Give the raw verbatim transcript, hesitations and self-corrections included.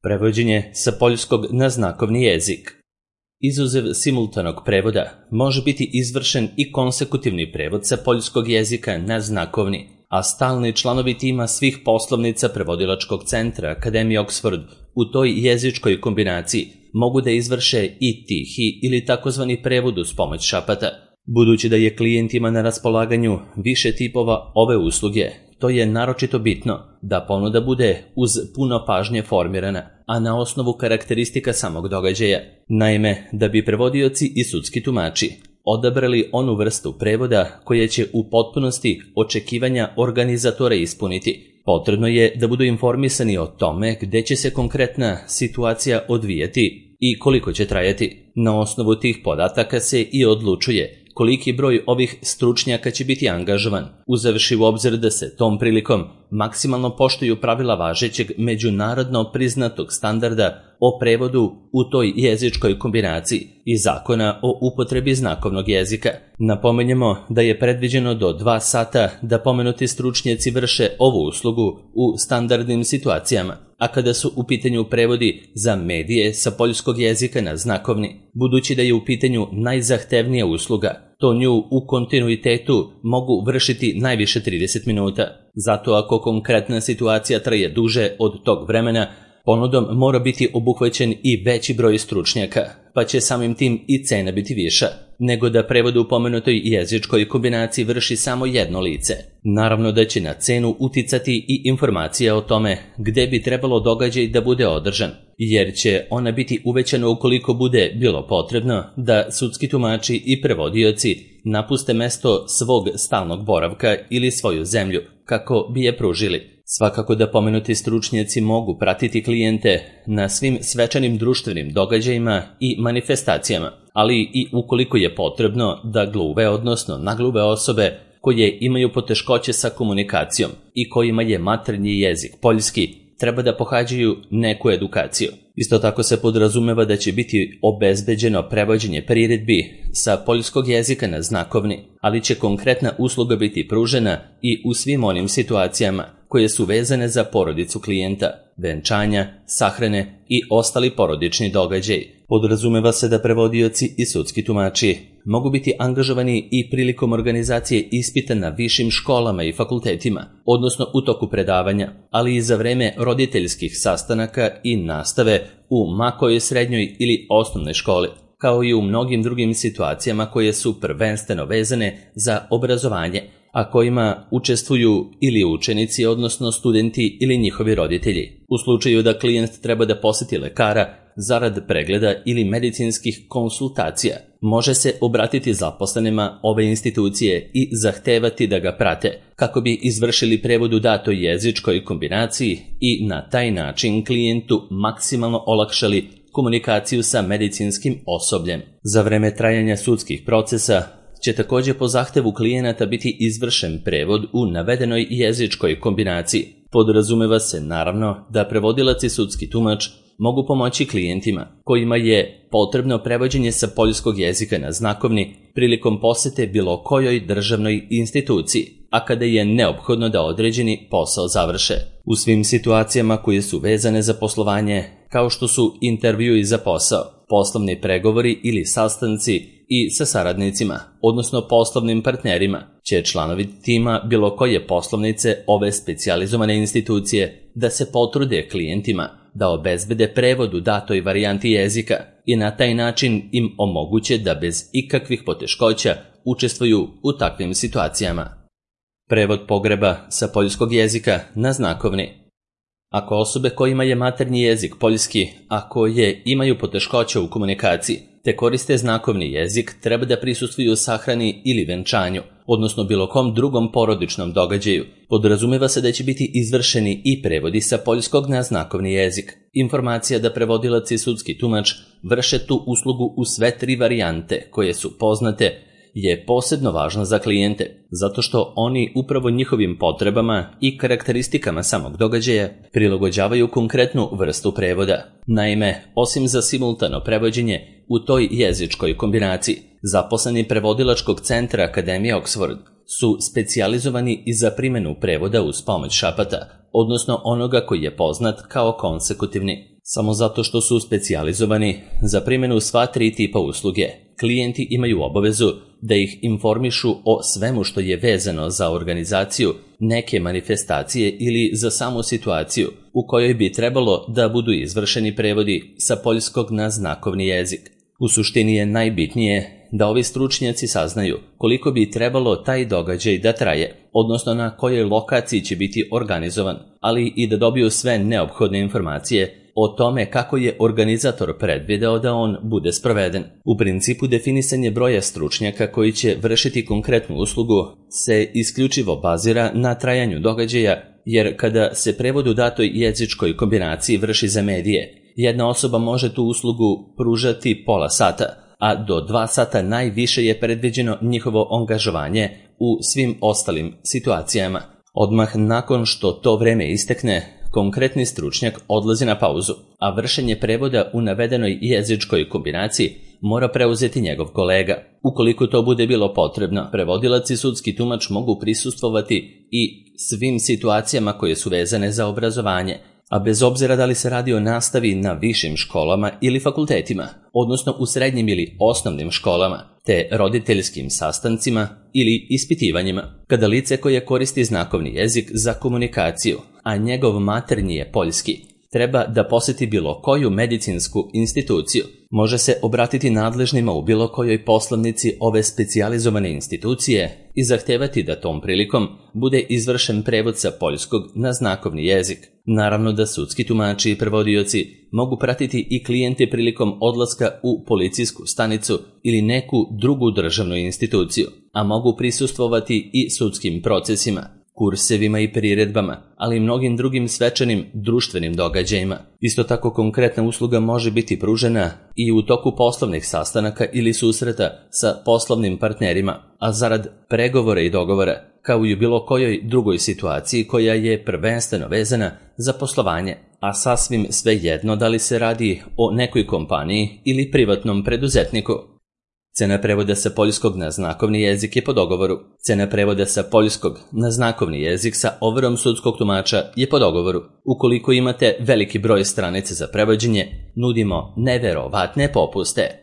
Prevođenje sa poljskog na znakovni jezik. Izuzev simultanog prevoda može biti izvršen i konsekutivni prevod sa poljskog jezika na znakovni, a stalni članovi tima svih poslovnica prevodilačkog centra Akademije Oxford u toj jezičkoj kombinaciji mogu da izvrše i tihi ili takozvani prevod uz pomoć šapata. Budući da je klijentima na raspolaganju više tipova ove usluge, to je naročito bitno da ponuda bude uz puno pažnje formirana, a na osnovu karakteristika samog događaja. Naime, da bi prevodioci i sudski tumači odabrali onu vrstu prevoda koja će u potpunosti očekivanja organizatora ispuniti, potrebno je da budu informisani o tome gde će se konkretna situacija odvijati i koliko će trajati. Na osnovu tih podataka se i odlučuje koliki broj ovih stručnjaka će biti angažovan, uzevši u obzir da se tom prilikom maksimalno poštuju pravila važećeg međunarodno priznatog standarda o prevodu u toj jezičkoj kombinaciji i zakona o upotrebi znakovnog jezika. Napomenjemo da je predviđeno do dva sata da pomenuti stručnjaci vrše ovu uslugu u standardnim situacijama, a kada su u pitanju prevodi za medije sa poljskog jezika na znakovni, budući da je u pitanju najzahtevnija usluga, to nju u kontinuitetu mogu vršiti najviše trideset minuta. Zato ako konkretna situacija traje duže od tog vremena, ponudom mora biti obuhvaćen i veći broj stručnjaka, pa će samim tim i cena biti viša, nego da prevod u pomenutoj jezičkoj kombinaciji vrši samo jedno lice. Naravno da će na cenu uticati i informacija o tome gde bi trebalo događaj da bude održan, jer će ona biti uvećana ukoliko bude bilo potrebno da sudski tumači i prevodioci napuste mesto svog stalnog boravka ili svoju zemlju kako bi je pružili. Svakako da pomenuti stručnjaci mogu pratiti klijente na svim svečanim društvenim događajima i manifestacijama, ali i ukoliko je potrebno da gluve, odnosno nagluve osobe koje imaju poteškoće sa komunikacijom i kojima je maternji jezik poljski, treba da pohađaju neku edukaciju. Isto tako se podrazumeva da će biti obezbeđeno prevođenje priredbi sa poljskog jezika na znakovni, ali će konkretna usluga biti pružena i u svim onim situacijama koje su vezane za porodicu klijenta, venčanja, sahrane i ostali porodični događaj. Podrazumeva se da prevodioci i sudski tumači mogu biti angažovani i prilikom organizacije ispita na višim školama i fakultetima, odnosno u toku predavanja, ali i za vreme roditeljskih sastanaka i nastave u makojoj srednjoj ili osnovnoj školi, kao i u mnogim drugim situacijama koje su prvenstveno vezane za obrazovanje, a kojima učestvuju ili učenici, odnosno studenti ili njihovi roditelji. U slučaju da klijent treba da poseti lekara zarad pregleda ili medicinskih konsultacija, može se obratiti zaposlenima ove institucije i zahtevati da ga prate, kako bi izvršili prevod u datoj jezičkoj kombinaciji i na taj način klijentu maksimalno olakšali komunikaciju sa medicinskim osobljem. Za vreme trajanja sudskih procesa će također po zahtevu klijenata biti izvršen prevod u navedenoj jezičkoj kombinaciji. Podrazumeva se naravno da prevodilac i sudski tumač mogu pomoći klijentima kojima je potrebno prevođenje sa poljskog jezika na znakovni prilikom posete bilo kojoj državnoj instituciji, a kada je neophodno da određeni posao završe. U svim situacijama koje su vezane za poslovanje, kao što su intervjui za posao, poslovni pregovori ili sastanci i sa saradnicima, odnosno poslovnim partnerima, će članovi tima bilo koje poslovnice ove specijalizovane institucije da se potrude klijentima da obezbede prevod u datoj varijanti jezika i na taj način im omoguće da bez ikakvih poteškoća učestvuju u takvim situacijama. Prevod pogreba sa poljskog jezika na znakovni. Ako osobe kojima je maternji jezik poljski, a koje imaju poteškoća u komunikaciji, te koriste znakovni jezik, treba da prisustvuju sahrani ili venčanju, odnosno bilo kom drugom porodičnom događaju. Podrazumeva se da će biti izvršeni i prevodi sa poljskog na znakovni jezik. Informacija da prevodilac i sudski tumač vrše tu uslugu u sve tri varijante koje su poznate je posebno važno za klijente, zato što oni upravo njihovim potrebama i karakteristikama samog događaja prilagođavaju konkretnu vrstu prevoda. Naime, osim za simultano prevođenje u toj jezičkoj kombinaciji, zaposleni prevodilačkog centra Akademije Oxford su specijalizovani i za primjenu prevoda uz pomoć šapata, odnosno onoga koji je poznat kao konsekutivni. Samo zato što su specijalizovani za primjenu sva tri tipa usluge, klijenti imaju obavezu da ih informišu o svemu što je vezano za organizaciju neke manifestacije ili za samu situaciju u kojoj bi trebalo da budu izvršeni prevodi sa poljskog na znakovni jezik. U suštini je najbitnije da ovi stručnjaci saznaju koliko bi trebalo taj događaj da traje, odnosno na kojoj lokaciji će biti organizovan, ali i da dobiju sve neophodne informacije o tome kako je organizator predvideo da on bude sproveden. U principu definisanje broja stručnjaka koji će vršiti konkretnu uslugu se isključivo bazira na trajanju događaja, jer kada se prevod u datoj jezičkoj kombinaciji vrši za medije, jedna osoba može tu uslugu pružati pola sata, a do dva sata najviše je predviđeno njihovo angažovanje u svim ostalim situacijama. Odmah nakon što to vreme istekne, konkretni stručnjak odlazi na pauzu, a vršenje prevoda u navedenoj jezičkoj kombinaciji mora preuzeti njegov kolega. Ukoliko to bude bilo potrebno, prevodilac i sudski tumač mogu prisustvovati i svim situacijama koje su vezane za obrazovanje, a bez obzira da li se radi o nastavi na višim školama ili fakultetima, odnosno u srednjim ili osnovnim školama, te roditeljskim sastancima ili ispitivanjima. Kada lice koje koristi znakovni jezik za komunikaciju, a njegov maternji je poljski, treba da poseti bilo koju medicinsku instituciju, može se obratiti nadležnima u bilo kojoj poslovnici ove specijalizovane institucije i zahtevati da tom prilikom bude izvršen prevod sa poljskog na znakovni jezik. Naravno da sudski tumači i prevodioci mogu pratiti i klijente prilikom odlaska u policijsku stanicu ili neku drugu državnu instituciju, a mogu prisustvovati i sudskim procesima, kursevima i priredbama, ali i mnogim drugim svečanim društvenim događajima. Isto tako konkretna usluga može biti pružena i u toku poslovnih sastanaka ili susreta sa poslovnim partnerima, a zarad pregovora i dogovora, kao i u bilo kojoj drugoj situaciji koja je prvenstveno vezana za poslovanje, a sasvim svejedno da li se radi o nekoj kompaniji ili privatnom preduzetniku. Cena prevoda sa poljskog na znakovni jezik je po dogovoru. Cena prevoda sa poljskog na znakovni jezik sa overom sudskog tumača je po dogovoru. Ukoliko imate veliki broj stranica za prevođenje, nudimo neverovatne popuste.